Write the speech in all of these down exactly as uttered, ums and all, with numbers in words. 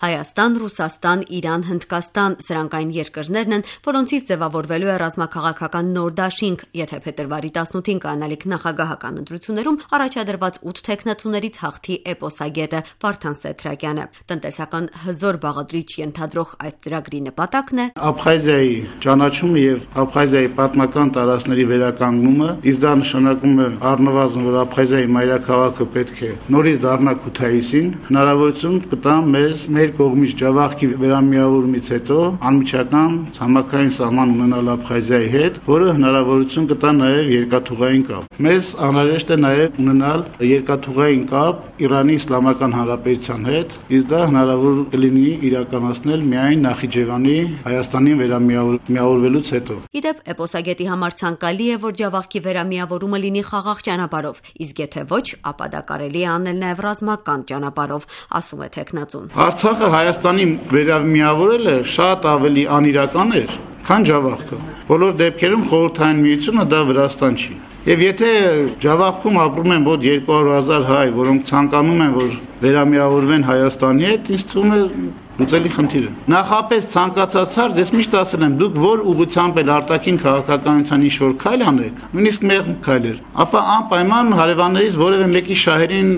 Հայաստան, Ռուսաստան, Իրան, Հնդկաստան սրանք այն երկրներն են, որոնցից ձևավորվելու է ռազմաքաղաքական նոր դաշինք, եթե փետրվարի տասնութին կանալիք նախագահական ընտրություններում առաջադրված ութ թեկնածուներից հաղթի էպոսագետը Վարդան Սեթրակյանը։ Տնտեսական հզոր բաղադրիչ ենթադրող այս ծրագրի նպատակն է Աբխազիայի ճանաչումը եւ Աբխազիայի պատմական տարածքների վերականգնումը, իսկ դա նշանակում է առնվազն, որ Աբխազիայի մայրաքաղաքը պետք է նորից դառնա Քութայիսին, հնարավորություն կտա մեզ մեր կողմից Ջավախքի վերամիավորումից հետո անմիջական ցամաքային սահման ունենալ Աբխազիայի հետ, որը հնարավորություն կտա նաև երկաթուղային կապ։ Մեզ անհրաժեշտ է նաև ունենալ երկաթուղային կապ Իրանի Իսլամական Հանրապետության հետ, իսկ դա հնարավոր կլինի իրականացնել միայն Նախիջևանի Հայաստանին վերամիավորվելուց հետո։ Իդեպ էպոսագետի համար ցանկալի է, որ Ջավախքի վերամիավորումը լինի խաղաղ ճանապարհով, իսկ եթե ոչ, ապա դա կարելի է անել նաև ռազմական ճանապարհով, ասում է թեկնածուն։ Արցախը Հայաստանի վերամիավորելը շատ ավելի անիրական էր, քան Ջավախքը։ Բոլոր դեպքերում խորհրդային միությունը դա Վրաստան չի։ Եվ եթե Ջավախքում ապրում են մոտ երկու հարյուր հազար հայ, որոնք ցանկանում են, որ վերամիավորվեն Հայաստանի հետ, ինձ թվում է լուծելի խնդիր է։ Նախապես ցանկացած հարց, ես միշտ ասել եմ, դուք որ ուղղությամբ էլ արտաքին քաղաքականության ինչ-որ քայլ անեք, նույնիսկ մեղմ քայլեր, ապա անպայման հարևաններից որևէ մեկի շահերին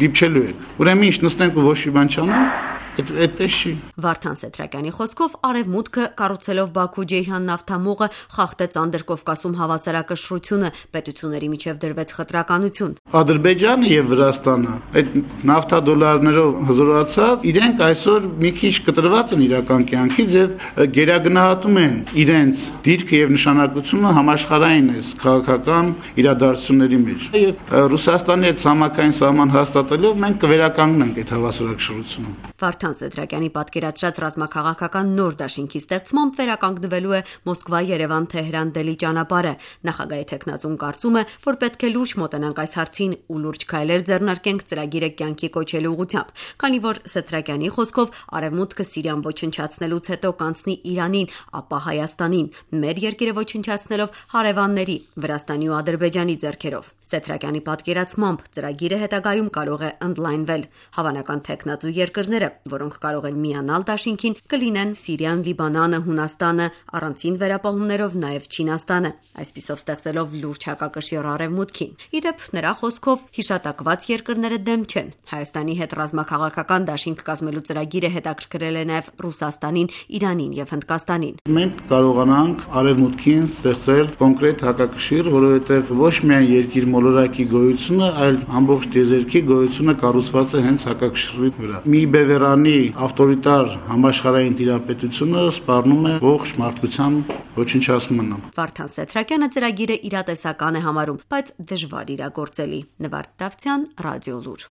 դիպչելու եք։ Ուրեմն ինչ նստենք ու ոչ մի բան չանենք։ Այդպես չի։ Վարդան Սեթրակյանի խոսքով Արևմուտքը կառուցելով Բաքու-Ջեյհան նավթամուղը խախտեց Անդրկովկասում հավասարակշռությունը, պետությունների միջև դրվեց խտրականություն։ Ադրբեջանը եւ Վրաստանը այդ նավթադոլարներով հզորացած իրենք այսօր մի քիչ կտրված են իրական կյանքից եւ գերագնահատում են իրենց դիրքը եւ նշանակությունը համաշխարհային այս քաղաքական իրադարձությունների մեջ։ Եվ Ռուսաստանի հետ ցամաքային սահման հաստատելով մենք կվերականգնենք այդ հավասարակշռությունը։ Վարդան Սեթրակյանի պատկերացրած ռազմաքաղաքական նոր դաշինքի ստեղծմամբ վերականգնվելու է Մոսկվա-Երևան-Թեհրան Դելի ճանապարհը։ Նախագահի թեկնածուն կարծում է, որ պետք է լուրջ մոտենանք այս հարցին ու լուրջ քայլեր ձեռնարկենք ծրագիրը կյանքի կոչելու ուղղությամբ, քանի որ Սեթրակյանի խոսքով Արևմուտքը Սիրիան ոչնչացնելուց հետո կանցնի Իրանին, ապա Հայաստանին, մեր երկիրը ոչնչացնելով հարևանների Վրաստանի ու Ադրբեջանի ձեռքերով։ Սեթրակյանի պատկերացմամբ ծրագիրը հետագայում կարող է ընդլայնվել։ Հավանական թեկնածու երկրները, որոնք կարող են միանալ դաշինքին, կլինեն Սիրիան, Լիբանանը, Հունաստանը, առանցին վերապահումներով նաև Չինաստանը, այսպիսով ստեղծելով լուրջ հակակշիռ Արևմուտքին։ Իդեպ նրա խոսքով հիշատակված երկրները դեմ չեն։ Հայաստանի հետ ռազմաքաղաքական դաշինք կազմելու ծրագիրը հետաքրքրել է նաև Ռուսաստանին, Իրանին եւ Հնդկաստանին։ Մենք կարողանանք Արևմուտքին ստեղծել կոնկրետ հակակշիռ, որովհետեւ ոչ միայն երկիր մոլորակի գոյությունը, այլ ամբողջ տիեզերքի գոյությունը կառուցված է հենց հակակշռի վրա։ Մի բևեռանի ավտորիտար համաշխարհային տիրապետությունը սպառնում է ողջ մարդկության ոչնչացմանը։ Վարդան Սեթրակյանը ծրագիրը իրատեսական է համարում, բայց դժվար իրագործելի։ Նվարդ Դավթյան, Ռադիոլուր։